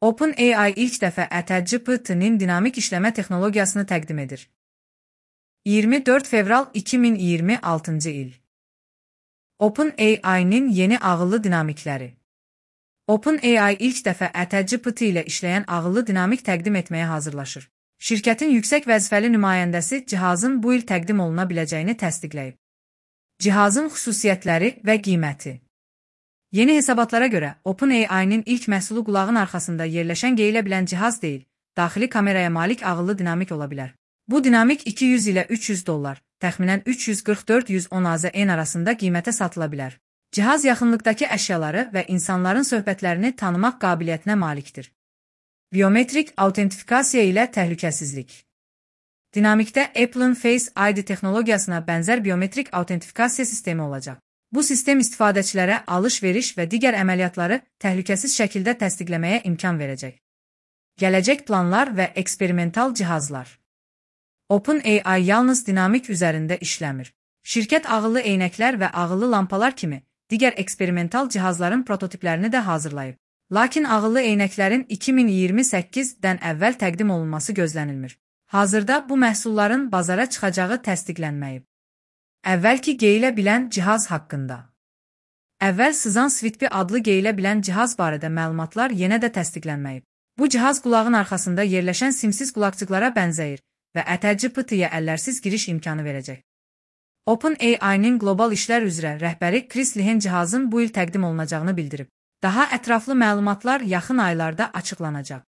OpenAI ilk dəfə ChatGPT-nin dinamik işləmə texnologiyasını təqdim edir. 24 fevral 2026-cı il. OpenAI-nin yeni ağıllı dinamikləri. OpenAI ilk dəfə ChatGPT ilə işləyən ağıllı dinamik təqdim etməyə hazırlaşır. Şirkətin yüksək vəzifəli nümayəndəsi cihazın bu il təqdim oluna biləcəyini təsdiqləyib. Cihazın xüsusiyyətləri və qiyməti. Yeni hesabatlara görə, OpenAI-nin ilk məhsulu qulağın arxasında yerləşən geyilə bilən cihaz deyil, daxili kameraya malik ağıllı dinamik ola bilər. Bu dinamik $200 ilə $300, təxminən 344-110 AZN arasında qiymətə satıla bilər. Cihaz yaxınlıqdaki əşyaları və insanların söhbətlərini tanımaq qabiliyyətinə malikdir. Biometrik autentifikasiya ilə təhlükəsizlik. Dinamikdə Apple'ın Face ID texnologiyasına bənzər biometrik autentifikasiya sistemi olacaq. Bu sistem istifadəçilərə alış-veriş və digər əməliyyatları təhlükəsiz şəkildə təsdiqləməyə imkan verəcək. Gələcək planlar və eksperimental cihazlar. OpenAI yalnız dinamik üzərində işləmir. Şirkət ağıllı eynəklər və ağıllı lampalar kimi digər eksperimental cihazların prototiplərini də hazırlayıb. Lakin ağıllı eynəklərin 2028-dən əvvəl təqdim olunması gözlənilmir. Hazırda bu məhsulların bazara çıxacağı təsdiqlənməyib. Əvvəlki geyilə bilən cihaz haqqında. Əvvəl sızan Sweetbee adlı geyilə bilən cihaz barədə məlumatlar yenə də təsdiqlənməyib. Bu cihaz qulağın arxasında yerləşən simsiz qulaqcıqlara bənzəyir və ChatGPT-yə əllərsiz giriş imkanı verəcək. OpenAI-nin qlobal işlər üzrə rəhbəri Chris Lehen cihazın bu il təqdim olunacağını bildirib. Daha ətraflı məlumatlar yaxın aylarda açıqlanacaq.